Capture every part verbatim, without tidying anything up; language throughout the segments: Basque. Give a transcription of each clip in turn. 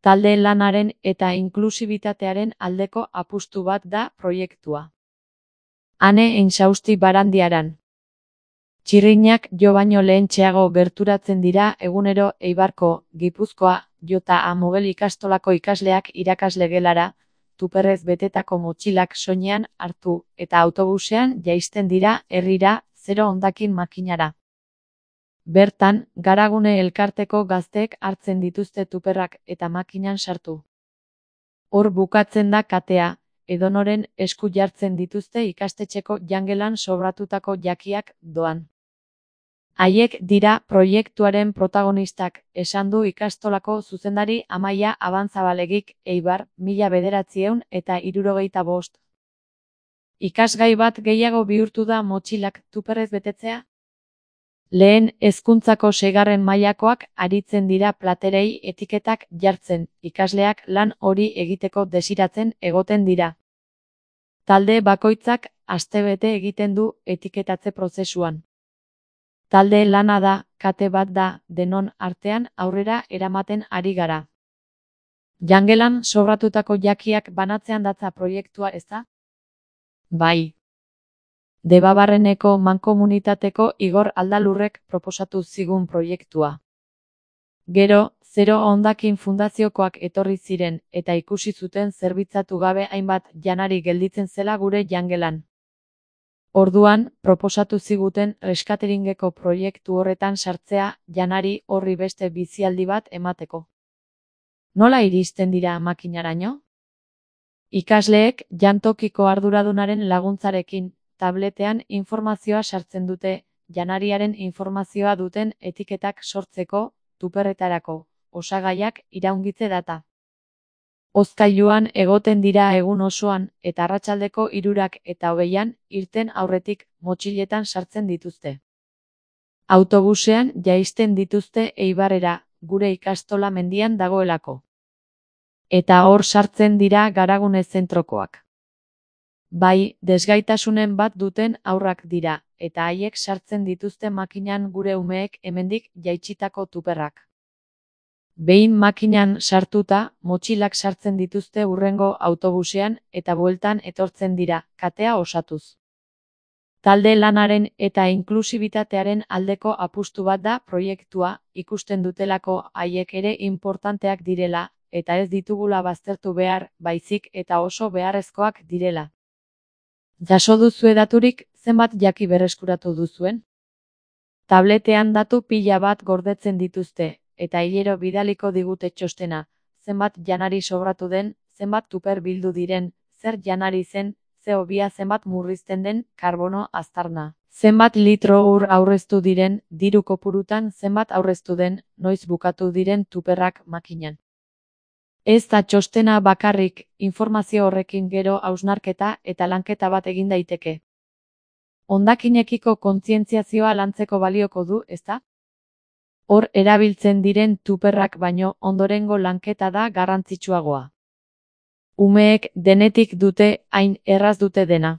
Talde lanaren eta inklusibitatearen aldeko apustu bat da proiektua. Ane Insausti Barandiaran. Txirrinak jo baino lehentxeago gerturatzen dira egunero Eibarko, Gipuzkoa, Jota Amogel ikastolako ikasleak irakasle gelara, tuperrez betetako motxilak soinean hartu eta autobusean jaisten dira herrira zero hondakin makinara. Bertan, Garagune elkarteko gazteek hartzen dituzte tuperrak eta makinan sartu. Hor bukatzen da katea, edonoren esku jartzen dituzte ikastetxeko jangelan sobratutako jakiak doan. Haiek dira proiektuaren protagonistak, esan du ikastolako zuzendari Amaia Abantzabalegik Eibar, mila bederatziehun eta hirurogeita bost. Ikasgai bat gehiago bihurtu da motxilak tuperrez betetzea? Lehen hezkuntzako seigarren mailakoak aritzen dira platerei etiketak jartzen, ikasleak lan hori egiteko desiratzen egoten dira. Talde bakoitzak astebete egiten du etiketatze prozesuan. Talde lana da, kate bat da, denon artean aurrera eramaten ari gara. Jangelan sobratutako jakiak banatzean datza proiektua, ezta? Bai. Debabarreneko mankomunitateko Igor Aldalurrek proposatu zigun proiektua. Gero, Zero Hondakin Fundaziokoak etorri ziren eta ikusi zuten zerbitzatu gabe hainbat janari gelditzen zela gure jangelan. Orduan, proposatu ziguten reskateringeko proiektu horretan sartzea janari horri beste bizialdi bat emateko. Nola iristen dira makinaraino? Ikasleek jantokiko arduradunaren laguntzarekin, tabletean informazioa sartzen dute, janariaren informazioa duten etiketak sortzeko, tuperretarako, osagaiak iraungitze data. Hozkailuan egoten dira egun osoan eta arratsaldeko hirurak eta hogeian irten aurretik motxiletan sartzen dituzte. Autobusean jaisten dituzte Eibarrera, gure ikastola mendian dagoelako. Eta hor sartzen dira Garagune zentrokoak. Bai, desgaitasunen bat duten haurrak dira, eta haiek sartzen dituzte makinan gure umeek hemendik jaitsitako tuperrak. Behin makinan sartuta, motxilak sartzen dituzte hurrengo autobusean eta bueltan etortzen dira, katea osatuz. Talde lanaren eta inklusibitatearen aldeko apustu bat da proiektua, ikusten dutelako haiek ere inportanteak direla, eta ez ditugula baztertu behar, baizik eta oso beharrezkoak direla. Jaso duzue daturik, zenbat jaki berreskuratu duzuen? Tabletean datu pila bat gordetzen dituzte, eta hilero bidaliko digute txostena, zenbat janari sobratu den, zenbat tuper bildu diren, zer janari zen, ze hobia zenbat murrizten den, karbono aztarna. Zenbat litro ur aurreztu diren, diru kopurutan zenbat aurreztu den, noiz bukatu diren tuperrak makinan. Ez da txostena bakarrik, informazio horrekin gero hausnarketa eta lanketa bat egin daiteke. Hondakinekiko kontzientziazioa lantzeko balioko du, ezta? Hor erabiltzen diren tuperrak baino ondorengo lanketa da garrantzitsuagoa. Umeek denetik dute, hain erraz dute dena.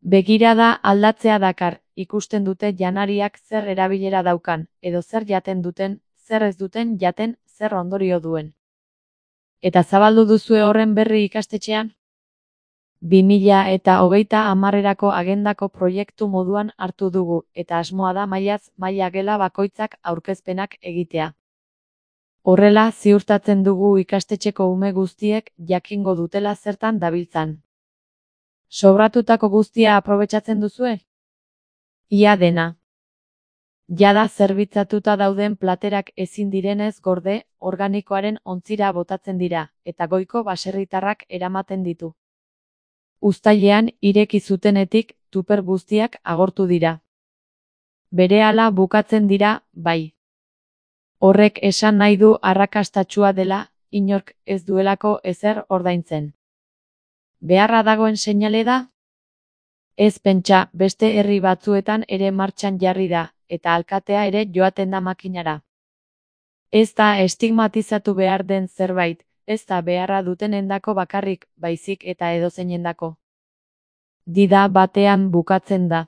Begirada aldatzea dakar, ikusten dute janariak zer erabilera daukan, edo zer jaten duten, zer ez duten jaten, zer ondorio duen. Eta zabaldu duzue horren berri ikastetxean? bi mila eta hogeita hamarrerako agendako proiektu moduan hartu dugu, eta asmoa da mailaz maila gela bakoitzak aurkezpenak egitea. Horrela ziurtatzen dugu ikastetxeko ume guztiek jakingo dutela zertan dabiltzan. Sobratutako guztia aprobetxatzen duzue? Ia dena. Jada zerbitzatuta dauden platerak ezin direnez gorde, organikoaren ontzira botatzen dira, eta goiko baserritarrak eramaten ditu. Uztailean ireki zutenetik tuper guztiak agortu dira. Berehala bukatzen dira, bai. Horrek esan nahi du arrakastatsua dela, inork ez duelako ezer ordaintzen. Beharra dagoen seinale da? Ez pentsa, beste herri batzuetan ere martxan jarri da, eta alkatea ere joaten da makinara. Ez da estigmatizatu behar den zerbait, ez da beharra dutenendako bakarrik, baizik eta edozeinendako. Dida batean bukatzen da.